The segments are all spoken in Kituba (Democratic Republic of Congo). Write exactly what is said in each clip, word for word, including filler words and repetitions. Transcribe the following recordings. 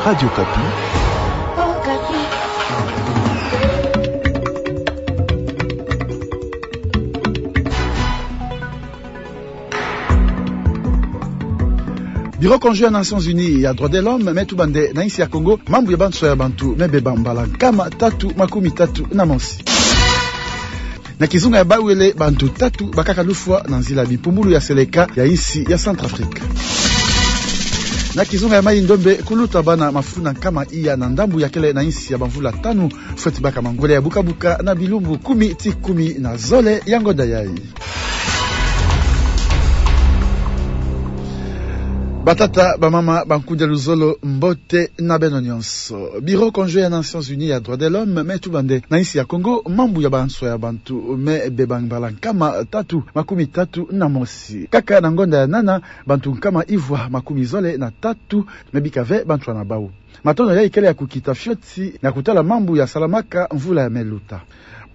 Radio Okapi. Bureau conjoint ya Nations Unies ya droits de l'homme me tuba nde na insi ya Kongo mambu ya banswa ya bantu me beba mbala nkama tatu makumi tatu na mosi. Na kizunga ya Bawele, bantu tatu bakaka lufwa na nzila ya bimpumbulu ya seleka ya insi ya Centrafrique. Na kizunga ya Mayi-Ndombe, kuluta bana mafunda nkama iya na ndambu ya kele na insi ya bamvula tanu, fweti baka mangwele ya buka-buka na bilumbu kumi tii kumi na zole ya ngonda yayi. Batata, bamama, bankundi ya luzolo, mbote na beno nyonso. Bureau conjoint ya Nations Unies ya droits de l'homme me tuba nde na insi ya Kongo mambu ya banswa ya bantu me beba mbala nkama tatu makumi tatu na mosi. Kaka na ngonda ya nana, bantu nkama ivwa makumi zole na tatu me bika ve banswa na bau. Matono yayi kele ya kukita fioti na kutala mambu ya salamaka mvula ya me luta.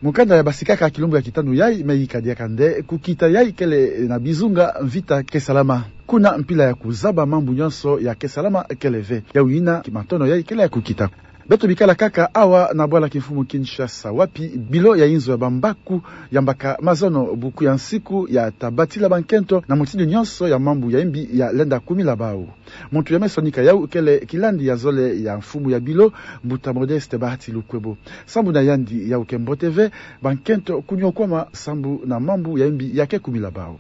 Mukanda ya basikaka kilumbu ya kitanu yayi me yika diaka nde kukita yayi kele na bizunga mvita ke salama. Kuna mpila ya kuzaba mambu nyonso ya ke salama kele ve. Yawu yina matono yayi kele ya kukita. Beto bikala kaka awa na bwala kimfumu Kinshasa, wapi bilo ya inzo ya bambaku yambaka mazono buku ya nsiku ya ta batila bankento na mutindu nyonso ya mambu ya imbi ya lenda kumila bau. Muntu ya me sonika yawu kele kilandi ya zole ya mfumu ya bilo, Mbuta Modeste Bahati Lukwebo. Sambu na yandi yawu ke mbote ve bankento kuniokwama sambu na mambu ya imbi ya ke kumila bau.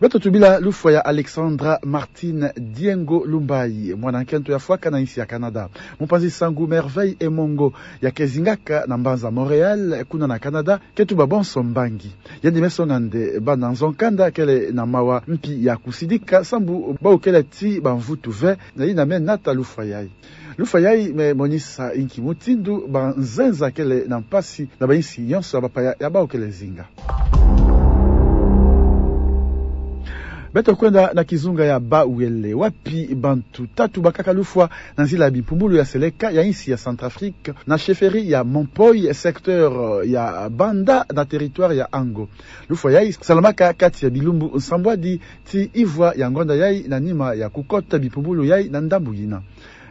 Beto tubila lufwa ya Alexandra Martine Diengo Lumbayi, mwana nkento ya fwaka na insi ya Canada. Mupanzi sangu Merveille Emongo ya ke zingaka na mbanza Montréal, kuna na Canada, ke tuba bonso mbangi. Yandi me songa nde bana nzo nkanda kele na mawa mpi ya kusidika sambu bau kele tii bamvutu ve, na yina me nata lufwa yayi. Lufwa yayi me monisa inki mutindu banzenza kele na mpasi na bainsi nyonso ya bapaya ya bau kele zinga. Beto kwenda na kizunga ya Bawele, wapi bantu tatu bakaka lufwa na nzila ya bimpumbulu ya seleka ya insi ya Centrafrique, na chefferie ya Mompoi, secteur ya Banda, na territoire ya Ango. Lufwa yayi salamaka kati ya bilumbu nsambwadi tii ivwa ya ngonda yayi na nima ya kukota bimpumbulu yayi na ndambu yina.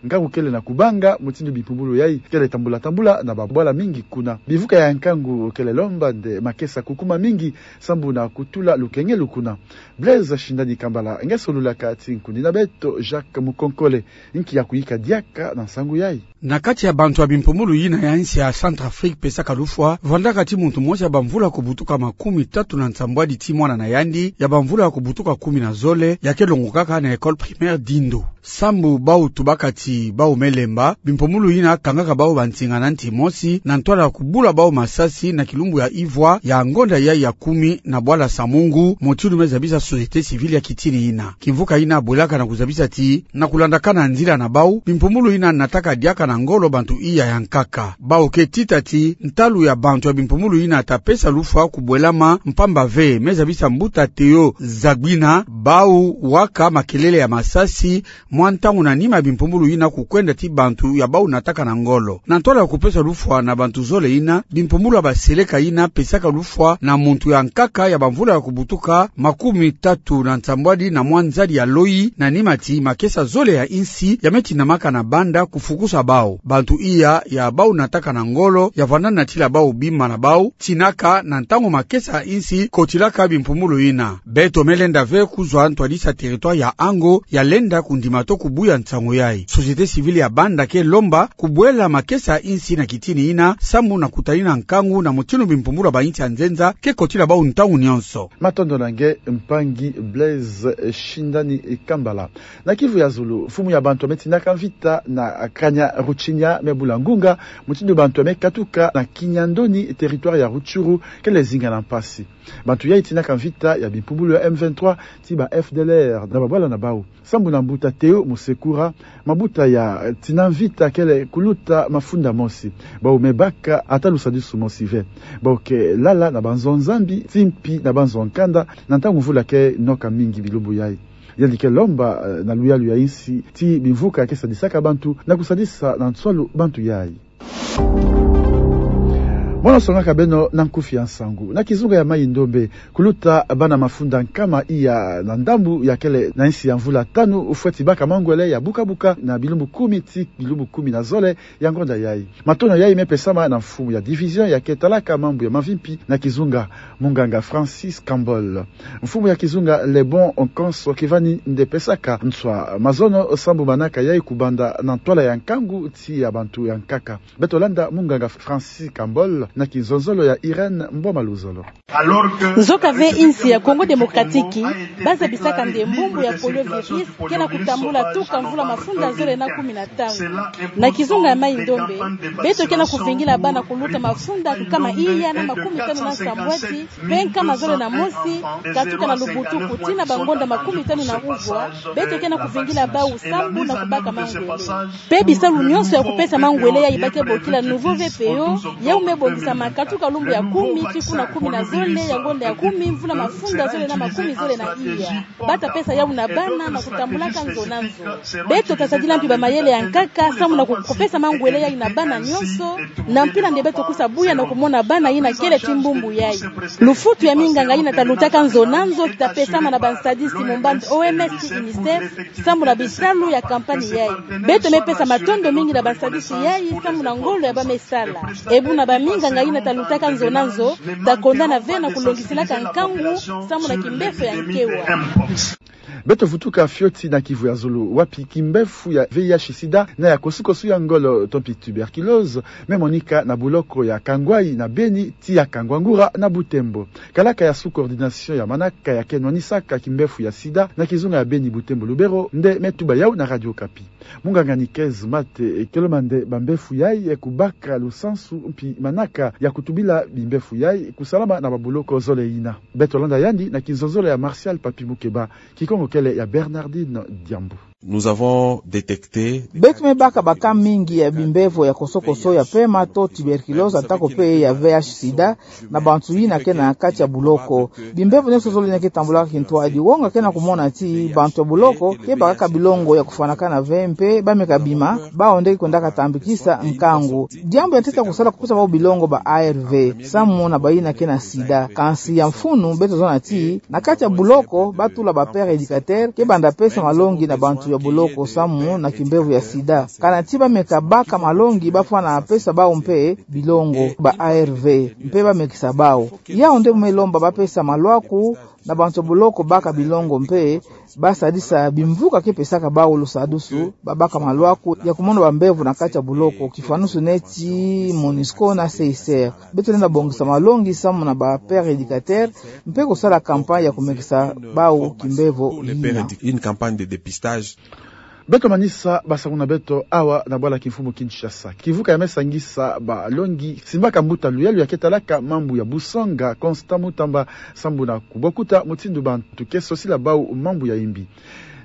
Nkangu kele na kubanga mutindu bimpumbulu yayi kele tambula-tambula na babwala mingi kuna. Bimvuka ya nkangu kele lomba nde makesa kukuma mingi sambu na kutula lukengelu kuna. Blaise Shindani Kambala nge solulaka tii nkundi na beto Jacques Mukonkole, inki ya kuyika diaka na nsangu yayi. Na kati ya bantu ya bimpumbulu yina ya insi ya Centrafrique pesaka lufwa, vandaka tii muntu mosi ya bamvula kubutuka makumi tatu na nsambwadi tii mwana na yandi ya bamvula kubutuka kumi na zole ya ke longokaka na école primaire Dindo. Sambu bau tubaka ti bau me lemba, bimpumbulu yina kangaka bau bansinga na nti mosi, na ntwala kubula bau masasi na kilumbu ya ivwa ya ngonda yayi ya kumi na bwala Samungu, mutindu me zabisa société civile ya kitini yina. Kimvuka yina bwelaka na kuzabisa ti, na kulandakana nzila na bau, bimpumbulu yina nataka diaka na ngolo bantu iya ya nkaka. Bau ke tita ti, ntalu ya bantu ya bimpumbulu yina ta pesa lufwa kubwelama mpamba ve, me zabisa mbuta Théo Zagbina, bau waka makelele ya masasi, mwa ntangu na nima ya bimpumbulu yina kukwenda ti bantu ya bau nataka na ngolo. Na ntwala ya kupesa lufwa na bantu zole yina, bimpumbulu ya baseleka yina pesaka lufwa na muntu ya nkaka ya bamvula ya kubutuka makumi tatu na nsambwadi na mwa nzadi ya loyi, na nima ti makesa zole ya insi ya me tinamaka na Banda kufukusa bau. Bantu iya ya bau nataka na ngolo ya vanda natila bau bima na bau, tinaka na ntangu makesa ya insi kotilaka bimpumbulu yina. Beto me lenda ve kuzwa ntwadisi ya territoire ya Ango ya lenda kundima to kubuya nsangu yayi. Société civile ya Banda ke lomba kubwela makesa ya insi na kitini yina, sambu na kutalina nkangu na mutindu bimpumbulu ya bainsi ya nzenza ke kotila bau ntangu nyonso. Matondo na nge, mpangi Blaise Shindani Kambala. Na Kivu ya zulu, mfumu ya bantu ya me tinaka mvita na Kanya-Ruchinya me bula ngunga mutindu bantu ya me katuka na Kinyandoni, territoire ya Rutshuru, kele zinga na mpasi. Bantu yayi tinaka mvita ya bimpumbulu ya M vingt-trois ti ba F D L R na babwala na bau. Sambu na mbuta Théo Musekura, mabuta ya tina mvita kele kuluta mafunda mosi. Bau me baka ata lusadisu mosi ve. Bau ke lala na banzo nzambi, ti mpi na banzo nkanda, na ntangu mvula ke noka mingi bilumbu yayi. Yandi ke lomba, eh, na luyalu ya insi, ti bimvuka ke sadisaka bantu, na kusadisa na nswalu bantu yayi. Mono songaka beno na nkufi ya nsangu. Na kizunga ya Mayi-Ndombe, kuluta bana mafunda nkama iya na ndambu ya kele na insi ya mvula tanu, fweti baka mangwele ya buka-buka na bilumbu kumi tii bilumbu kumi na zole ya ngonda yayi. Matono yayi mepesama na mfumu ya division ya ke talaka mambu ya mavimpi na kizunga, munganga Francis Cambol. Mfumu ya kizunga Lebon Nkonso kivani nde pesaka nswa mazono sambu manaka yayi kubanda na ntwala ya nkangu tii ya bantu ya nkaka. Beto landa munganga Francis Cambol na kinzonzolo ya Irène Mboma Luzolo. Nzoka ve insi ya Congo Démocratique, ba zabisaka nde mbumbu ya poliovirus ke na kutambula tuka mvula mafunda zole na kumi na tanu. Na kizunga ya Mayi-Ndombe, beto ke na kuvingila bana kuluta mafunda nkama iya na makumi tanu na nsambwadi, mpe nkama zole na mosi, katuka na Lubutuku tii na bangonda makumi tanu na uvwa, beto ke na kuvingila bau sambu na kubaka mangwele. Mpe bisalu nyonso ya kupesa mangwele yayi ba ke bokila Nouveau V P O, yau mebongisama katuka lumbu ya kumi tii kuna kumi na zole ya ngonda ya kumi, mvula mafunda zole na makumi zole na iya. Ba ta pesa yau na bana na kutambulaka nzo na nzo. Beto ta sadila mpi bamayele ya nkaka sambu na ku-, kupesa mangwele yayi na bana nyonso, na mpila nde beto kusa buya na kumona bana yina kele tii mbumbu yayi. Lufutu ya minganga yina ta lutaka nzo na nzo ta pesama na bansadisi mu mbandu O M S tii UNICEF, sambu na bisalu ya kampanye yayi. Beto mepesa matondo mingi na bansadisi yayi sambu na ngolo ya ba mesala. E buna baminganga yina ta lutaka nzo na nzo ta kondana ve na kulongisilaka nkangu sambu na kimbefo ya nkewa. Beto vutuka fioti na Kivu ya zulu, wapi kimbefo ya V I H sida na ya kosukosu ya ngolo to mpi tuberculose memonika na buloko ya Kangwai na Beni tii ya Kangwangura na Butembo. Kalaka ya sous-coordination ya manaka ya ke nwanisaka kimbefo ya sida na kizunga ya Beni, Butembo, Lubero nde metuba yau na Radio Okapi. Munganga Nikez Mate ke lomba nde bambefo yayi kubaka lusansu mpi manaka ya kutubila bimbefo yayi kusalama na babuloko zole yina. Beto landa yandi na kinzonzolo ya Martial Papi Mukeba, Kikongo kele ya Bernardine Diambu. Nous avons détecté. Beto mebaka ba cas mingi ya bimbevo ya kosokoso ya pema to tuberculose atako pe ya V I H sida na bantu yina ke na kati ya buloko. Bimbevo nyonso zole yina ke tambulaka kintwadi. Wonga ke na kumona ti bantu ya buloko ke bakaka bilongo ya kufwanakana ve mpe ba meka bima, bawu nde ke kwendaka tambikisa nkangu. Diambu ya ntete ya kusala kupesa bawu bilongo ba A R V, samu na bayina ke na sida. Kansi ya mfunu, beto zona ti, na kati ya buloko, ba tula ba père éducateur, ke banda pesa malongi na bantu ya buloko samu na kimbevo ya sida. Kana ti ba meka baka malongi, ba fwana pesa bawu mpe bilongo, ba A R V, mpe ba mekisa bawu. Yawu nde me lomba ba pesa malwaku na bantu ya buloko baka bilongo mpe ba sadisa bimvuka ke pesaka bawu lusadusu, ba baka malwaku ya kumona bambevo na kati ya buloko, kifwanusu neti MONUSCO na C I C R. Beto lenda bongisa malongi samu na ba père éducateur, mpe kusala campagne ya kumekisa bawu kimbevo yina. Une campagne de dépistage. Beto manisa basangu na beto awa na bwala kimfumu Kinshasa. Kivuka ya me sangisa balongi simbaka mbuta luyalu ya ke talaka mambu ya busonga, Constant Mutamba, sambu na kubokuta mutindu bantu ke sosila bawu mambu ya imbi.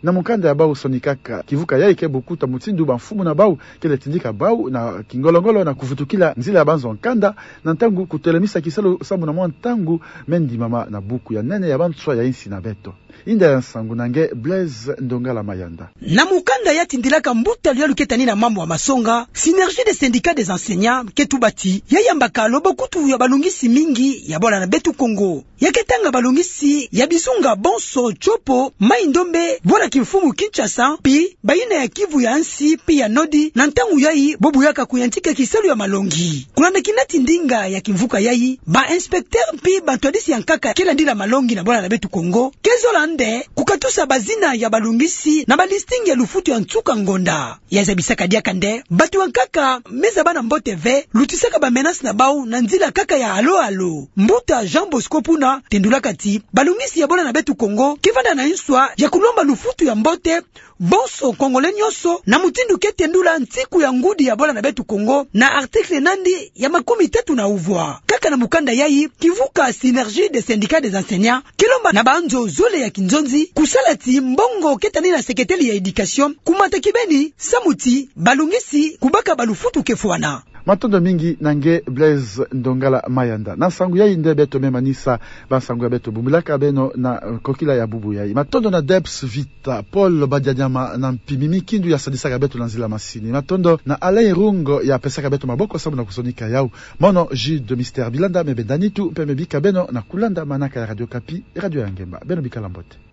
Na mukanda ya bawu sonikaka, kivuka yayi ke bokuta mutindu bamfumu na bawu kele tindika bawu na kingolo-ngolo na kuvutukila nzila ya banzo-nkanda, na ntangu kutelemisa kisalu sambu na mwa ntangu me ndimama na buku ya nene ya banswa ya insi na beto. Inda ya nsangu na nge Blaise Ndongala Mayanda. Na mukanda ya tindilaka mbuta luyalu ke tani na mambu ya masonga, Synergie des syndicats des enseignants, ke tuba ti ya yambaka lobokutu ya balongisi mingi ya bwala na beto Kongo. Ya ke tanga balongisi ya bizunga bonso, Tshopo, Maï-Ndombe, bwala kimfumu Kinshasa, mpi bayina ya Kivu ya nsi mpi ya Nord, na ntangu yayi bo buyaka kuyantika kisalu ya malongi. Kulanda kina tindinga ya kimvuka yayi, ba inspecteur mpi bantwadisi ya nkaka ke landila malongi na bwala na beto Kongo ke zola nde kukatusa bazina ya balongisi na ba listing ya lufutu ya nsuka ngonda. Ya zabisaka diaka nde bantu ya nkaka me zaba na mbote ve, lutisaka ba menace na bawu na nzila kaka ya halo-halo. Mbuta Jean Bosco Puna tendulaka ti balongisi ya bwala na beto Kongo ke vanda na nswa ya kulomba lufutu ya mbote bonso Congolais nyonso, na mutindu ke tendula nsiku ya ngudi ya bwala na beto Kongo na article nandi ya makumi tatu na uvwa. Kaka na mukanda yayi, kivuka Synergie des syndicats des enseignants ke lomba na banzo zole ya kinzonzi kusala ti mbongo ke tani na seketeli ya éducation kumata kibeni, samu ti balongisi kubaka balufutu ke fwana. Matondo mingi na nge Blaise Ndongala Mayanda. Na nsangu yayi nde beto me manisa bansangu ya beto bumbilaka beno na, eh, kokila ya bubu yayi. Matondo na Debs Vita, Paul Badianyama na Mpimi Mikindu ya sadisaka beto na nzila masini. Matondo na Alain Rungo ya pesaka beto maboko sambu na kusonika yawu. Mono Jude Mister Bilanda me benda nitu mpe me bika beno na kulanda manaka ya Radio Okapi, radio ya ngemba. Beno bikala mbote.